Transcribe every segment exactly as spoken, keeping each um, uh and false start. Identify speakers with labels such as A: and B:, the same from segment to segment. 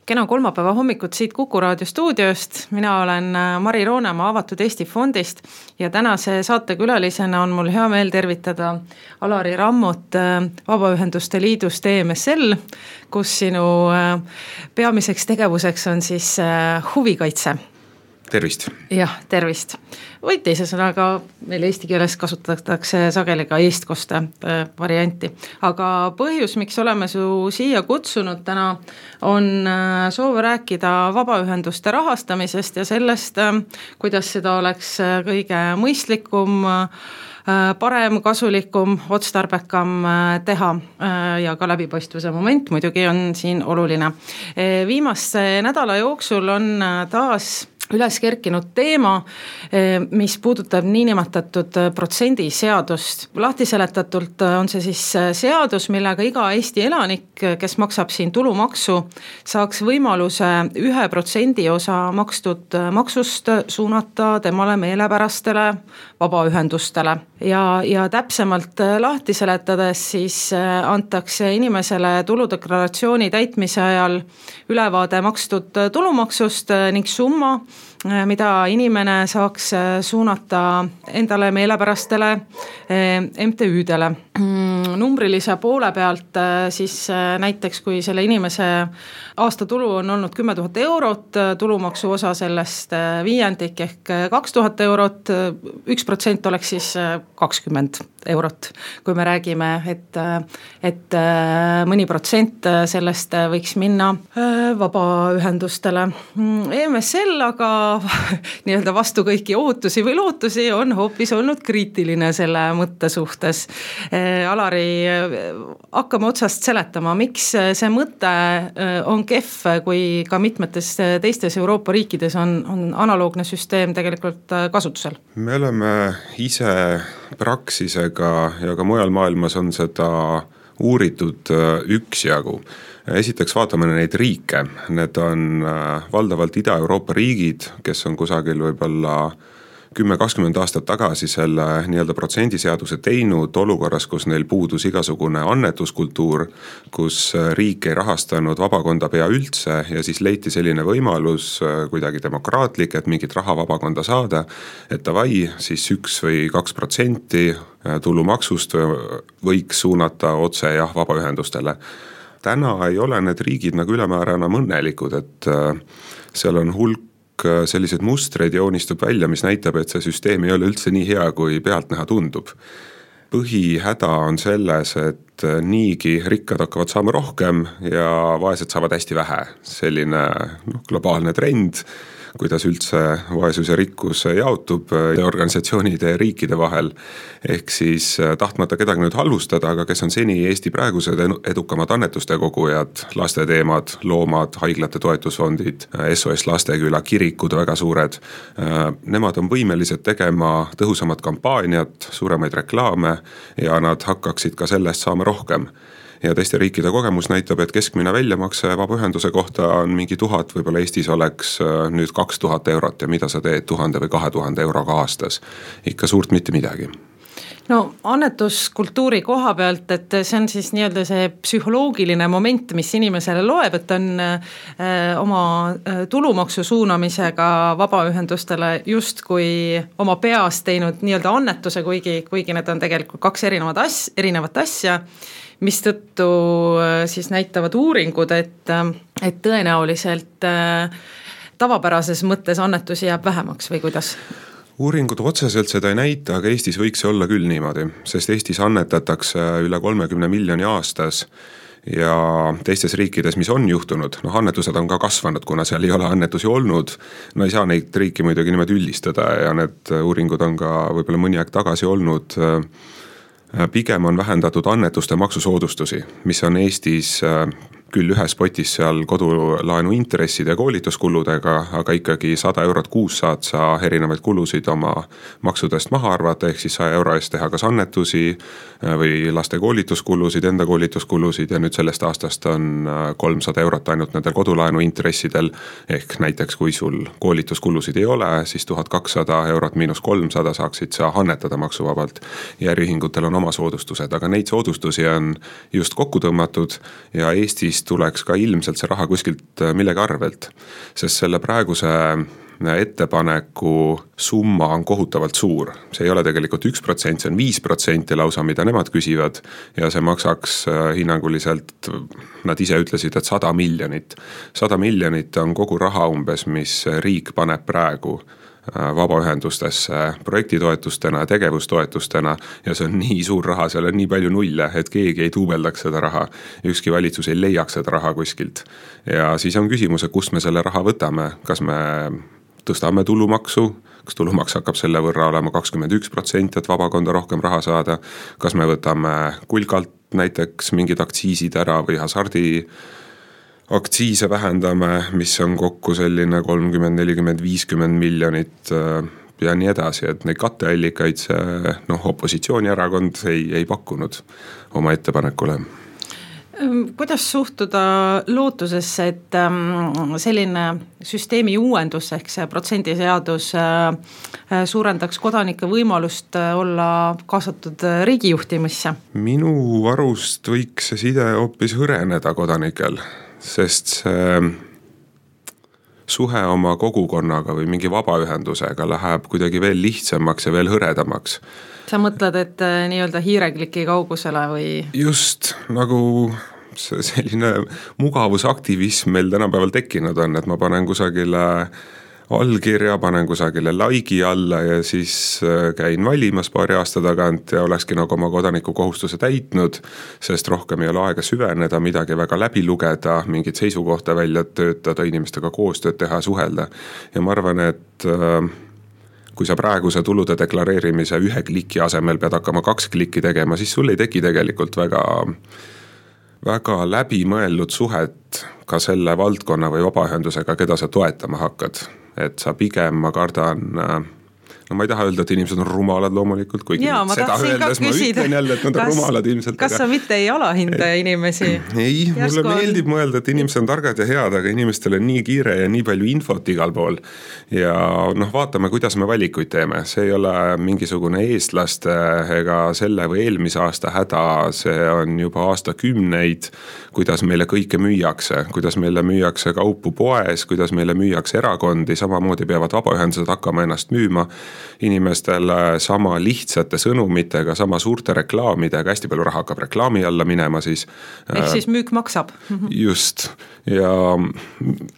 A: Kena kolmapäeva hommikut siit Kuku Raadio stuudiost. Mina olen Mari Roonemaa Avatud Eesti Fondist ja tänase saatekülalisena on mul hea meel tervitada Alari Rammut Vabaühenduste Liidust E M S L, kus sinu peamiseks tegevuseks on siis huvikaitse.
B: Tervist.
A: Jah, tervist. Või teise sõnaga meil eesti keeles kasutatakse sageli ka eestkoste varianti. Aga põhjus, miks oleme su siia kutsunud täna, on soov rääkida vabaühenduste rahastamisest ja sellest, kuidas seda oleks kõige mõistlikum, parem, kasulikum, otstarbekam teha ja ka läbipaistvuse moment muidugi on siin oluline. Viimase nädala jooksul on taas üles kerkinud teema, mis puudutab niinimetatud protsendiseadust. Lahti seletatult on see siis seadus, millega iga Eesti elanik, kes maksab siin tulumaksu, saaks võimaluse ühe protsendi osa makstud maksust suunata temale meelepärastele vabaühendustele. Ja, ja täpsemalt lahti seletades siis antakse inimesele tuludeklaratsiooni täitmise ajal ülevaade makstud tulumaksust ning summa, mida inimene saaks suunata endale meelepärastele M T Ü-dele. Numbrilise poole pealt siis näiteks, kui selle inimese aastatulu on olnud kümme tuhat eurot, tulumaksu osa sellest viiendik ehk kaks tuhat eurot, üks protsent oleks siis kakskümmend eurot. Kui me räägime, et, et mõni protsent sellest võiks minna vabaühendustele. E M S L aga nii-öelda vastu kõiki ootusi või lootusi on hoopis olnud kriitiline selle mõtte suhtes. Alari, hakkame otsast seletama, miks see mõte on kehv, kui ka mitmetes teistes Euroopa riikides on, on analoogne süsteem tegelikult kasutusel?
B: Me oleme ise Praxisega ja ka mujal maailmas on seda uuritud üksjagu. Esiteks vaatame neid riike, need on valdavalt Ida-Euroopa riigid, kes on kusagil võib-olla kümme kakskümmend aastat tagasi selle nii-öelda protsendiseaduse teinud olukorras, kus neil puudus igasugune annetuskultuur, kus riik ei rahastanud vabakonda pea üldse ja siis leiti selline võimalus kuidagi demokraatlik, et mingit raha vabakonda saada, et tavai, siis üks või kaks protsenti tulumaksust võiks suunata otse jah vabaühendustele. Täna ei ole need riigid nagu ülemäärana õnnelikud, et seal on hulk sellised mustreid joonistub välja, mis näitab, et see süsteem ei ole üldse nii hea, kui pealt näha tundub. Põhihäda on selles, et niigi rikkad hakkavad saama rohkem ja vaesed saavad hästi vähe. Selline no, globaalne trend, kuidas üldse vaesus ja rikkus jaotub organisatsioonide ja riikide vahel. Ehk siis tahtmata kedagi nüüd halvustada, aga kes on seni Eesti praegused edukamad annetuste kogujad, lasteteemad, loomad, haiglate toetusfondid, S O S Lasteküla, kirikud väga suured. Nemad on võimelised tegema tõhusamat kampaaniat, suuremaid reklaame ja nad hakkaksid ka sellest saama rohkem. Ja teiste riikide kogemus näitab, et keskmine väljamakse vabaühenduse kohta on mingi tuhat, võib-olla Eestis oleks nüüd kaks tuhat eurot ja mida sa teed tuhande või kahe tuhande euroga aastas. Ikka suurt mitte midagi.
A: No annetuskultuuri koha pealt, et see on siis nii-öelda see psühholoogiline moment, mis inimesele loeb, et on äh, oma tulumaksu suunamisega vabaühendustele just kui oma peas teinud nii-öelda annetuse, kuigi, kuigi need on tegelikult kaks erinevat, as, erinevat asja, mis tõttu siis näitavad uuringud, et, et tõenäoliselt äh, tavapärases mõttes annetusi jääb vähemaks või kuidas?
B: Uuringud otseselt seda ei näita, aga Eestis võiks see olla küll niimoodi, sest Eestis annetatakse üle kolmekümne miljoni aastas ja teistes riikides, mis on juhtunud, noh annetused on ka kasvanud, kuna seal ei ole annetusi olnud, no ei saa neid riiki muidugi niimoodi üldistada ja need uuringud on ka võib-olla mõni aeg tagasi olnud. Pigem on vähendatud annetuste maksusoodustusi, mis on Eestis küll ühes potis seal kodulaenu intresside ja koolituskuludega, aga ikkagi sada eurot kuus saad sa erinevaid kulusid oma maksudest maha arvata, ehk siis saja euro eest teha kas annetusi või laste koolituskulusid, enda koolituskulusid ja nüüd sellest aastast on kolmsada eurot ainult nendel kodulaenu intressidel, ehk näiteks kui sul koolituskulusid ei ole, siis tuhat kakssada eurot miinus kolmsada saaksid sa annetada maksuvabalt ja äriühingutel on oma soodustused, aga neid soodustusi on just kokku tõmmatud ja Eestist tuleks ka ilmselt see raha kuskilt millegi arvelt, sest selle praeguse ettepaneku summa on kohutavalt suur. See ei ole tegelikult üks protsent, see on viis protsenti lausa, mida nemad küsivad ja see maksaks hinnanguliselt, nad ise ütlesid, et sada miljonit. sada miljonit on kogu raha umbes, mis riik paneb praegu vabaühendustesse projektitoetustena ja tegevustoetustena ja see on nii suur raha, seal on nii palju nulle, et keegi ei tuubeldaks seda raha, ükski valitsus ei leiaks seda raha kuskilt. Ja siis on küsimus, kust me selle raha võtame, kas me tõstame tulumaksu, kas tulumaks hakkab selle võrra olema kakskümmend üks protsenti, et vabakonda rohkem raha saada, kas me võtame kulkalt näiteks mingid aktsiisid ära või hasardi aktsiise vähendame, mis on kokku selline kolmkümmend, nelikümmend, viiskümmend miljonit ja nii edasi, et neid katteallikaid see noh, opositsioonierakond ei, ei pakkunud oma ettepanekule.
A: Kuidas suhtuda lootusesse, et selline süsteemi uuendus ehk see protsendiseadus suurendaks kodanike võimalust olla kaasatud riigijuhtimisse?
B: Minu arust võiks see side hoopis hõreneda kodanikel, sest see suhe oma kogukonnaga või mingi vabaühendusega läheb kuidagi veel lihtsamaks ja veel hõredamaks.
A: Sa mõtled, et nii-öelda hiirekliki kaugusele või?
B: Just, nagu selline mugavusaktivism meil tänapäeval tekkinud on, et ma panen kusagile allkirja, panen kusagile laigi alla ja siis käin valimas paari aasta tagant ja olekski nagu oma kodaniku kohustuse täitnud, sest rohkem ei ole aega süveneda, midagi väga läbi lugeda, mingit seisukohta välja töötada, inimestega koostööd teha, suhelda. Ja ma arvan, et kui sa praeguse tulude deklareerimise ühe kliki asemel pead hakkama kaks klikki tegema, siis sul ei teki tegelikult väga, väga läbimõeldud suhet ka selle valdkonna või vabaühendusega, keda sa toetama hakkad. Et sa pigem, ma kardan, no ma ei taha öelda, et inimesed on rumalad loomulikult, kuigi
A: Jaa,
B: seda öeldes ma ütlen jälle, et nad on rumalad ilmselt.
A: Kas aga... sa mitte ei alahinda inimesi?
B: Ei, mulle on... meeldib mõelda, et inimesed on targad ja head, aga inimestel on nii kiire ja nii palju infot igal pool. Ja noh, vaatame, kuidas me valikuid teeme. See ei ole mingisugune eestlaste ega selle või eelmise aasta häda, see on juba aastakümneid, kuidas meile kõike müüakse, kuidas meile müüakse kaupu poes, kuidas meile müüakse erakondi, samamoodi peavad vabaühendused hakkama ennast müüma inimestele sama lihtsate sõnumitega, sama suurte reklaamidega, hästi palju raha hakkab reklaami alla minema siis.
A: Ehk siis müük maksab.
B: Just, ja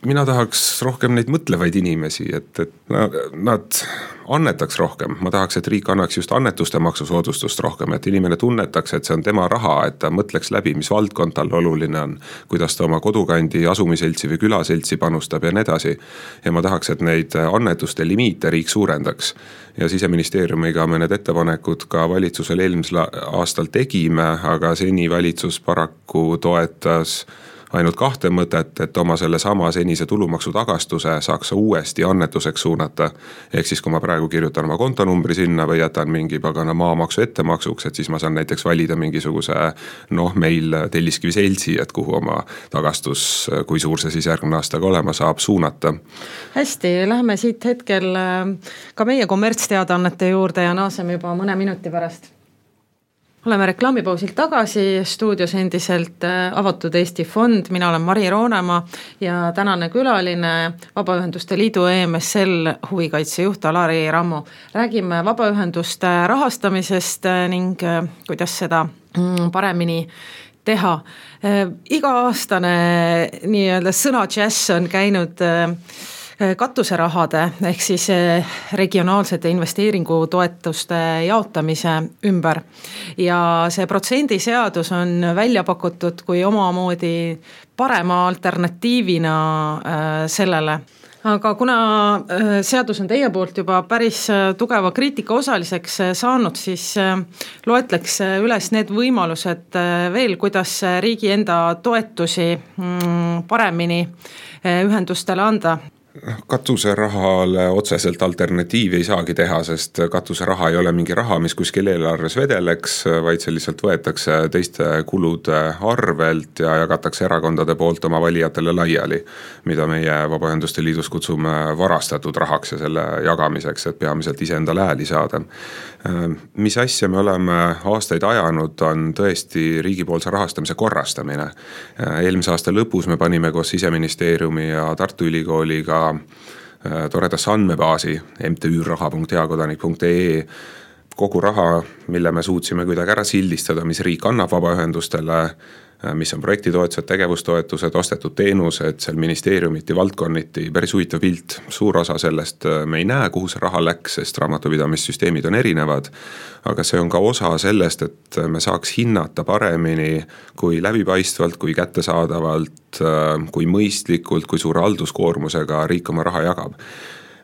B: mina tahaks rohkem neid mõtlevaid inimesi, et, et nad annetaks rohkem, ma tahaks, et riik annaks just annetuste maksusoodustust rohkem, et inimene tunnetaks, et see on tema raha, et ta mõtleks läbi, mis valdkond tal oluline on, kuidas ta oma kodukandi asumiseltsi või külaseltsi panustab ja nii edasi. Ja ma tahaks, et neid annetuste limiite riik suurendaks. Ja Siseministeeriumiga me need ettepanekud ka valitsusel eelmisel aastal tegime, aga seni valitsus paraku toetas ainult kahte mõtet, et oma selle sama senise tulumaksu tagastuse saaks uuesti annetuseks suunata. Ehk siis, kui ma praegu kirjutan oma kontonumbri sinna või jätan mingi pagana maamaksu ettemaksuks, et siis ma saan näiteks valida mingisuguse, noh, meil Telliskivi seltsi, et kuhu oma tagastus, kui suur see siis järgmine aastaga olema saab, suunata.
A: Hästi, läheme siit hetkel ka meie kommertsteadaannete juurde ja naaseme juba mõne minuti pärast. Oleme reklaamipausilt tagasi, stuudios endiselt Avatud Eesti Fond, mina olen Mari Roonemaa ja tänane külaline Vabaühenduste Liidu E M S L huvikaitsejuht Alari Rammo. Räägime vabaühenduste rahastamisest ning kuidas seda paremini teha. Iga-aastane nii-öelda sõna jazz on käinud katuserahade ehk siis regionaalsete investeeringutoetuste jaotamise ümber ja see protsendiseadus on välja pakutud kui omamoodi parema alternatiivina sellele. Aga kuna seadus on teie poolt juba päris tugeva kriitika osaliseks saanud, siis loetleks üles need võimalused veel, kuidas riigi enda toetusi paremini ühendustele anda.
B: Katuserahale otseselt alternatiivi ei saagi teha, sest katuseraha ei ole mingi raha, mis kuskil eelarves vedeleks, vaid see lihtsalt võetakse teiste kulude arvelt ja jagatakse erakondade poolt oma valijatele laiali, mida meie Vabaühenduste Liidus kutsume varastatud rahaks ja selle jagamiseks, et peamiselt iseendale hääli saada. Mis asja me oleme aastaid ajanud, on tõesti riigipoolse rahastamise korrastamine. Eelmise aasta lõpus me panime koos Siseministeeriumi ja Tartu Ülikooliga toredasse andmebaasi M T Ü raha punkt heakodanik punkt E E kogu raha, mille me suutsime kuidagi ära sildistada, mis riik annab vabaühendustele, mis on projektitoetused, tegevustoetused, ostetud teenused, seal ministeeriumiti, valdkonniti, päris huvitav pilt. Suur osa sellest me ei näe, kuhu see raha läks, sest raamatupidamissüsteemid on erinevad, aga see on ka osa sellest, et me saaks hinnata paremini, kui läbipaistvalt, kui kättesaadavalt, kui mõistlikult, kui suure halduskoormusega riik oma raha jagab.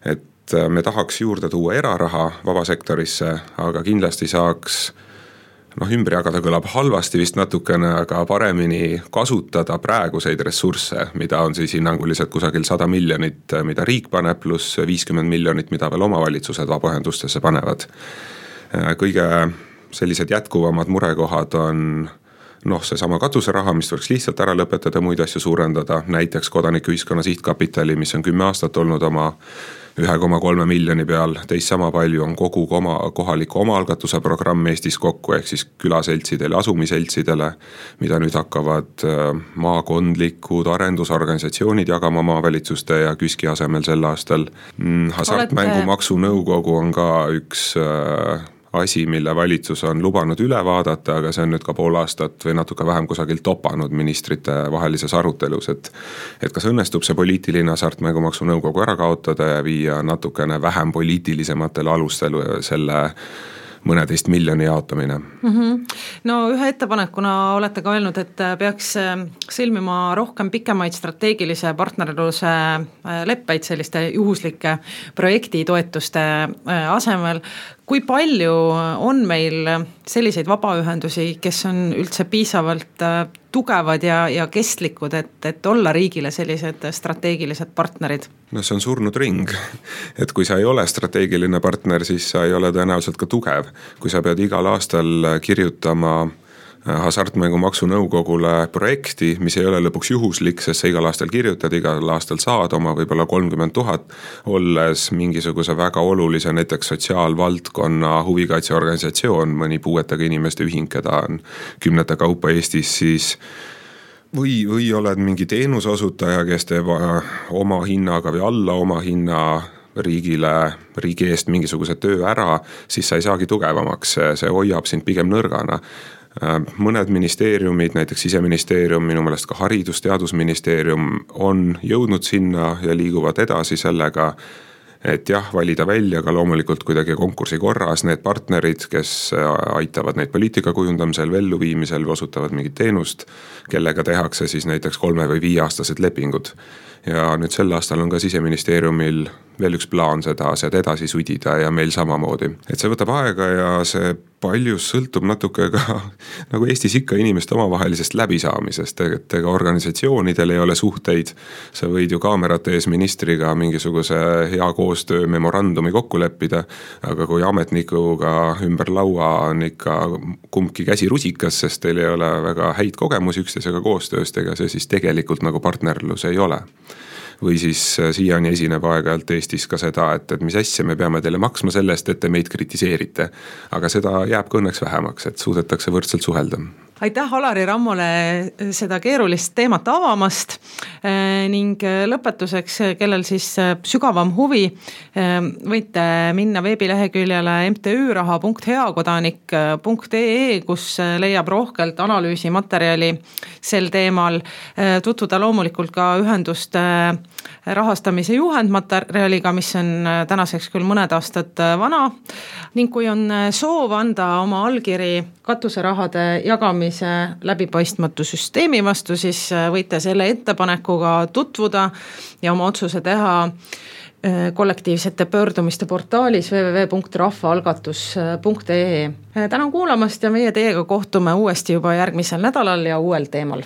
B: Et me tahaks juurde tuua eraraha vabasektorisse, aga kindlasti saaks noh, ümber jagada kõlab halvasti vist natukene, aga paremini kasutada praeguseid ressursse, mida on siis hinnanguliselt kusagil sada miljonit, mida riik paneb, pluss viiskümmend miljonit, mida veel omavalitsused vabaühendustesse panevad. Kõige sellised jätkuvamad murekohad on noh, see sama katuseraha, mis tuleks lihtsalt ära lõpetada, muid asju suurendada, näiteks kodanikuühiskonna sihtkapitali, mis on kümme aastat olnud oma ühe koma kolme miljoni peal, teist sama palju on kogu oma, kohaliku omaalgatuse programm Eestis kokku, ehk siis külaseltsidele, asumiseltsidele, mida nüüd hakkavad maakondlikud arendusorganisatsioonid jagama maavalitsuste ja KÜSK-i asemel sel aastal. Hasartmängumaksu nõukogu on ka üks asi, mille valitsus on lubanud üle vaadata, aga see on nüüd ka pool aastat või natuke vähem kusagilt topanud ministrite vahelises arutelus, et, et kas õnnestub see poliitiline hasartmängumaksu nõukogu ära kaotada ja viia natukene vähem poliitilisematele alustel selle mõneteist miljoni jaotamine.
A: Mm-hmm. No ühe ettepanekuna olete ka öelnud, et peaks sõlmima rohkem pikemaid strateegilise partnerluse leppeid selliste juhuslike projektitoetuste asemel. Kui palju on meil selliseid vabaühendusi, kes on üldse piisavalt tugevad ja, ja kestlikud, et, et olla riigile sellised strateegilised partnerid?
B: No see on surnud ring, et kui sa ei ole strateegiline partner, siis sa ei ole tõenäoliselt ka tugev. Kui sa pead igal aastal kirjutama hasartmängumaksu nõukogule projekti, mis ei ole lõpuks juhuslik, sest sa igal aastal kirjutad, igal aastal saad oma võib-olla kolmkümmend tuhat, olles mingisuguse väga olulise näiteks sotsiaalvaldkonna huvikaitseorganisatsioon, mõni puuetega inimeste ühing, keda on kümnete kaupa Eestis, siis või, või oled mingi teenusosutaja, kes teeb oma hinnaga või alla oma hinna riigile, riigi eest mingisuguse töö ära, siis sa ei saagi tugevamaks, see hoiab sind pigem nõrgana. Mõned ministeeriumid, näiteks Siseministeerium, minu meelest ka Haridus- Teadusministeerium on jõudnud sinna ja liiguvad edasi sellega, et jah, valida välja ka loomulikult kuidagi konkursi korras need partnerid, kes aitavad neid poliitika kujundamisel, elluviimisel või osutavad mingit teenust, kellega tehakse siis näiteks kolme või viieaastased lepingud. Ja nüüd sel aastal on ka Siseministeeriumil veel üks plaan seda asjad edasi sudida ja meil samamoodi. Et see võtab aega ja see paljus sõltub natuke ka nagu Eestis ikka inimeste omavahelisest läbisaamisest, et ega organisatsioonidel ei ole suhteid. Sa võid ju kaamerate ees ministriga mingisuguse hea koostöö memorandumi kokku leppida, aga kui ametnikuga ümber laua on ikka kumbki käsi rusikas, sest teil ei ole väga häid kogemusi üksteisega koostööst, ega see siis tegelikult nagu partnerlus ei ole. Või siis siiani esineb aeg-ajalt Eestis ka seda, et, et mis asja me peame teile maksma sellest, et te meid kritiseerite. Aga seda jääb ka õnneks vähemaks, et suudetakse võrdselt suhelda.
A: Aitäh Alari Rammole seda keerulist teemat avamast ning lõpetuseks, kellel siis sügavam huvi, võite minna veebileheküljele M T Ü raha punkt heakodanik punkt E E, kus leiab rohkelt analüüsimaterjali sel teemal, tutvuda loomulikult ka ühenduste rahastamise juhendmaterjaliga, mis on tänaseks küll mõned aastad vana, ning kui on soov anda oma allkiri katuserahade jagamise läbipaistmatu süsteemi vastu, siis võite selle ettepanekuga tutvuda ja oma otsuse teha kollektiivsete pöördumiste portaalis w w w punkt rahvaalgatus punkt E E. Tänan kuulamast ja meie teiega kohtume uuesti juba järgmisel nädalal ja uuel teemal.